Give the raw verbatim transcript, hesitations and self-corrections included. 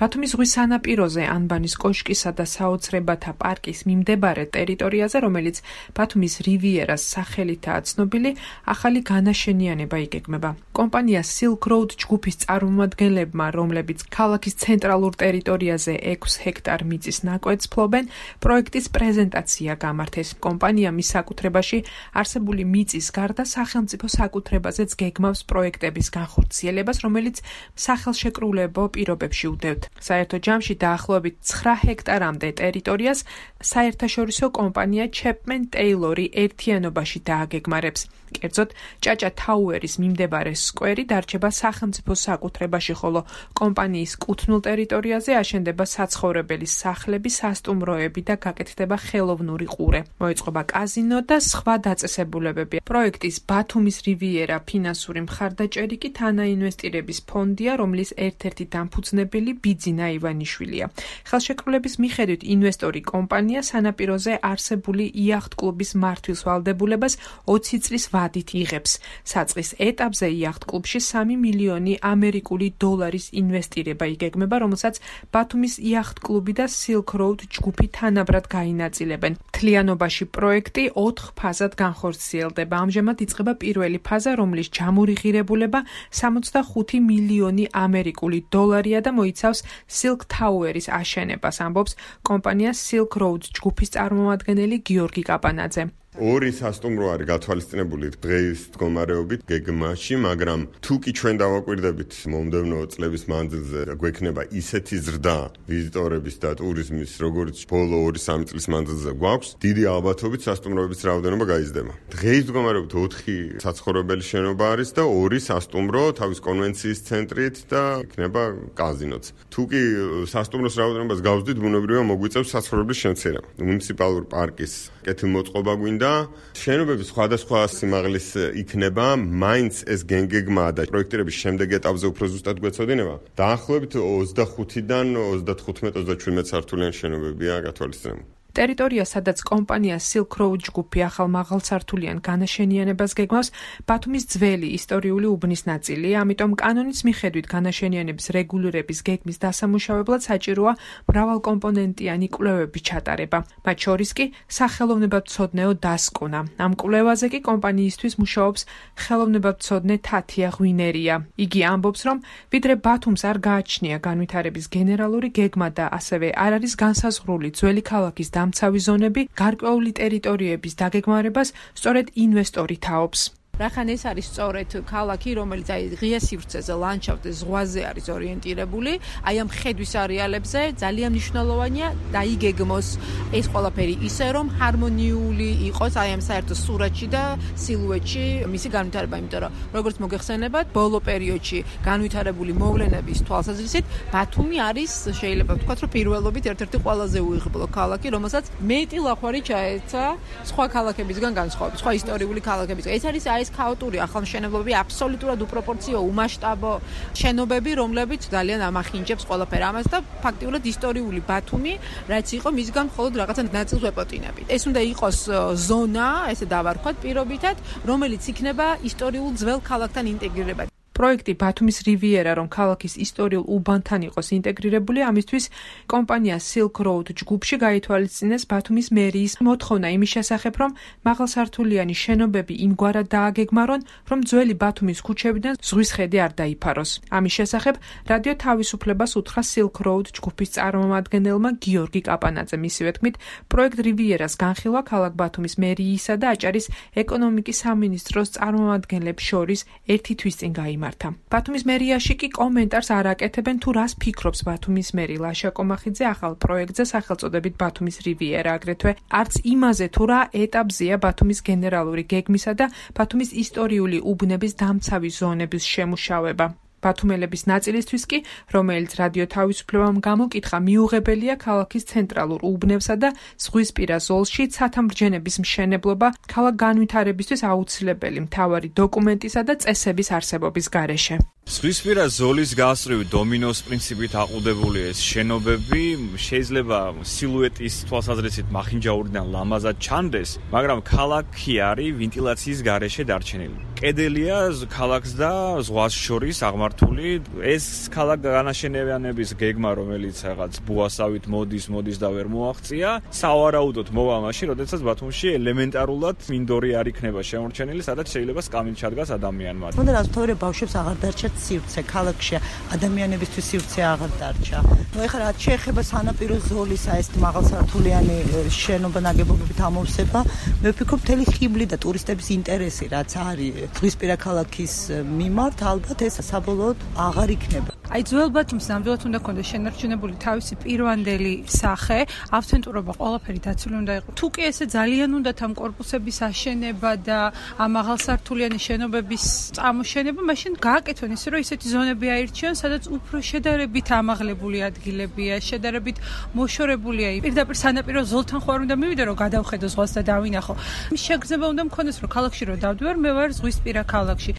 ბათუმის ზღვის სანაპიროზე ანბანის კოშკისა და საოცრებათა პარკის მიმდებარე ტერიტორიაზე, რომელიც ბათუმის რივიერას სახელითაა ცნობილი, ახალი განაშენიანება იგეგმება. კომპანია Silk Road ჯგუფის წარმომადგენლებმა, რომლებიც ქალაქის ცენტრალურ ტერიტორიაზე ექვს ჰექტარ მიწის ნაკვეთს ფლობენ, პროექტის პრეზენტაცია გამართეს. კომპანია მის საკუთრებაში არსებული მიწის გარდა სახელმწიფო საკუთრებაზეც გეგმავს პროექტების განხორციელებას, რომელიც სახელშეკრულებო პირობებში უდევთ. საერთო ჯამში დაახლოებით ცხრა ჰექტარამდე ტერიტორიას საერთაშორისო კომპანია Chapman Taylor-ი ერთიანობაში დააგეგმარებს. კერძოდ, ჭაჭა თაუერის მიმდებარე სკვერი დარჩება სახელმწიფო საკუთრებაში, ხოლო კომპანიის კუთვნილ ტერიტორიაზე აშენდება საცხოვრებელი სახლები, სასტუმროები და გაკეთდება ხელოვნური ყურე. მოეწყობა კაზინო და სხვა დაწესებულებები. პროექტის ბათუმის რივიერა ფინანსური მხარდაჭერი კი თანაინვესტირების ფონდია, რომლის ერთ-ერთი დამფუძნებელი ბიძინა ივანიშვილია. ხელშეკრულების მიხედვით ინვესტორი კომპანია სანაპიროზე არსებული იახტ-კლუბის მართვის ვალდებულებას ოცი წლის ვადით იღებს. საწყის ეტაპზე იახტ-კლუბში სამი მილიონი ამერიკული დოლარის ინვესტირება იგეგმება, რომელსაც ბათუმის იახტ-კლუბი და Silk Road ჯგუფი თანაბრად გაინაწილებენ. მთლიანობაში პროექტი ოთხ ფაზად განხორციელდება. ამჟამად იწყება პირველი ფაზა, რომლის ჯამური ღირებულება სამოცდახუთი მილიონი ამერიკული დოლარია და მოიცავს Silk Tower-ის აშენებას, ამბობს კომპანია Silk Road ჯგუფის წარმომადგენელი გიორგი კაპანაძე. ორი სასტუმრო არის გათვალისწინებული დღეის მდგომარეობით გეგმაში, მაგრამ თუ კი ჩვენ დავაკვირდებით მომდევნო წლების მანძილზე, გვექნება ისეთი ზრდა ვიზიტორების და ტურიზმის, როგორც ბოლო ორი სამი წლის მანძილზე გვაქვს, დიდი ალბათობით სასტუმროების რაოდენობა გაიზრდება. დღეის მდგომარეობით ოთხი საცხოვრებელი შენობა არის და ორი სასტუმრო თავის კონვენციის ცენტრით და იქნება კაზინოც. თუ კი სასტუმროს რაოდენობას გავზრდით, ბუნებრივია მოგვიწევს საცხოვრებლის შემცირება. მუნიციპალური პარკის კეთილმოწყობა გვინდა. შენობების სხვადასხვა სიმაღლის იქნება, მაინც ეს გეგმა და პროექტირების შემდეგ ეტაპზე უფრო ზუსტად გვეცოდინება. დაახლოებით ოცდახუთიდან ოცდათხუთმეტ ოცდაჩვიდმეტ სართულიანი შენობებია გათვალისწინებული. ტერიტორია, სადაც კომპანია Silk Road ჯგუფი ახალ მაღალსართულიან განაშენიანებას გეგმავს, ბათუმის ძველი ისტორიული უბნის ნაწილია, ამიტომ კანონის მიხედვით განაშენიანების რეგულირების გეგმის დასამუშავებლად საჭიროა მრავალკომპონენტიანი კვლევების ჩატარება. მათ შორის კი სახელოვნებათმცოდნეო დასკვნა. ამ კვლევაზე კი კომპანიისთვის მუშაობს ხელოვნებათმცოდნე თათია ღვინერია. იგი ამბობს, რომ ვიდრე ბათუმს არ გააჩნია განვითარების გენერალური გეგმა და ასევე არ არის განსაზღვრული ძველი ქალაქის დამცავი ზონები, გარკვეული ტერიტორიების დაგეგმარებას სწორედ ინვესტორი თაობს. რახან ეს არის სწორედ ქალაქი, რომელიც აი ღია სივრცეზე, ლანდშაფტზე, ზღვაზე არის ორიენტირებული, აი ამ ხედვის არეალებზე ძალიან მნიშვნელოვანია დაიგეგმოს ეს ყველაფერი ისე, რომ ჰარმონიული იყოს აი ამ საერთო სურათში და სილუეტში მისი განვითარება, იმიტომ რომ როგორც მოგეხსენებათ, ბოლო პერიოდში განვითარებული მოვლენების თვალსაზრისით, ბათუმი არის შეიძლება ვთქვათ, რომ პირველობით ერთ-ერთი ყველაზე უიღბლო ქალაქი, რომელსაც მეტი ლახვარი ჩაეცა სხვა ქალაქებისგან განსხვავებით, სხვა ისტორიული ქალაქებისგან. ეს არის აი ქაოტური ახალმშენებლობები, აბსოლუტურად უპროპორციო, უმასშტაბო შენობები, რომლებიც ძალიან ამახინჯებს ყველაფერ ამას და ფაქტიურად ისტორიული ბათუმი, რაც იყო მისგან მხოლოდ რაღაცა ნაწილს ვეპოტინებით. ეს უნდა იყოს ზონა, ესე დავარქვათ პირობითად, რომელიც იქნება ისტორიულ ძველ ქალაქთან ინტეგრირება. პროექტი ბათუმის რივიერა, რომ ქალაქის ისტორიულ უბანთან იყოს ინტეგრირებული, ამისთვის კომპანია Silk Road ჯგუფში გაითვალისწინეს ბათუმის მერიის მოთხოვნა იმის შესახებ, რომ მაღალსართულიანი შენობები იმგვარად დააგეგმარონ, რომ ძველი ბათუმის ქუჩებიდან ზღვის ხედი არ დაიფაროს. ამის შესახებ რადიო თავისუფლებას უთხრა Silk Road ჯგუფის წარმომადგენელმა გიორგი კაპანაძემ. მისივე თქმით, პროექტ რივიერას განხილვა ქალაქ ბათუმის მერიისა და აჭარის ეკონომიკის სამინისტროს წარმომადგენლებს შორის ერთი თვის წინ გაიმართა. ბათუმის მერიაში კი კომენტარს არ აკეთებენ, თუ რას ფიქრობს ბათუმის მერი ლაშა კომახიძე ახალ პროექტზე სახელწოდებით ბათუმის რივიერა, აგრეთვე არც იმაზე, თუ რა ეტაპზეა ბათუმის გენერალური გეგმისა და ბათუმის ისტორიული უბნების დამცავი ზონების შემუშავება. ბათუმელების ნაწილისთვის კი, რომელიც რადიო თავისუფლებამ გამოკითხა, მიუღებელია ქალაქის ცენტრალურ უბნებსა და ზღვისპირა ზოლში ცათამბჯენების მშენებლობა ქალაქ განვითარებისთვის აუცილებელი მთავარი დოკუმენტისა და წესების არსებობის გარეშე. ზღვისპირა ზოლის გასწვრივ დომინოს პრინციპით აყუდებული ეს შენობები შეიძლება სილუეტის თვალსაზრისით მახინჯაურიდან ლამაზად ჩანდეს, მაგრამ ქალაქი არის ვენტილაციის გარეშე დარჩენილი. კედელია ქალაქს და ზღვას შორის აღმართული მიმართული. ეს ქალაქ განაშენიანების გეგმა, რომელიც რაღაც ბუასავით მოდის, მოდის და ვერ მოაღწია, სავარაუდოდ მოვა მაშინ, როდესაც ბათუმში ელემენტარულად მინდორი არ იქნება შემორჩენილი, სადაც შეიძლება სკამით ჩადგას ადამიანმა. თუნდაც რასთავრე ბავშვებს აღარ დარჩათ სივრცე, ქალაქში ადამიანებისთვის სივრცე აღარ დარჩა. ნუ ეხლა რაც შეეხება სანაპირო ზოლისა ეს მაღალსართულიანი შენობა ნაგებობებით ამოვსება, მე ვფიქრობ მთელი ხიბლი და ტურისტების ინტერესი რაც არის ზღვისპირა ქალაქის მიმართ, ალბათ ეს საბოლოოდ აღარ იქნება. აი ძველ ბათუმს ნამდვილად უნდა ქონდეს შენარჩუნებული თავისი პირვანდელი სახე, ავთენტურობა ყველაფერი დაცული უნდა იყოს. თუ კი ესე ძალიან უნდათ ამ კორპუსების აშენება და ამ მაღალსართულიანი შენობების წამოშენება, მაშინ გააკეთონ ისე, რომ ისეთი ზონები აირჩიონ, სადაც უფრო შედარებით ამაღლებული ადგილებია, შედარებით მოშორებულია. პირდაპირ სანაპირო ზოლთან ხო არ უნდა მივიდე, რომ გადავხედო ზღვას და დავინახო. მის შეგრძნება უნდა მქონდეს, რომ ქალაქში რო დავდივარ, მე ვარ ზღვისპირა ქალაქში.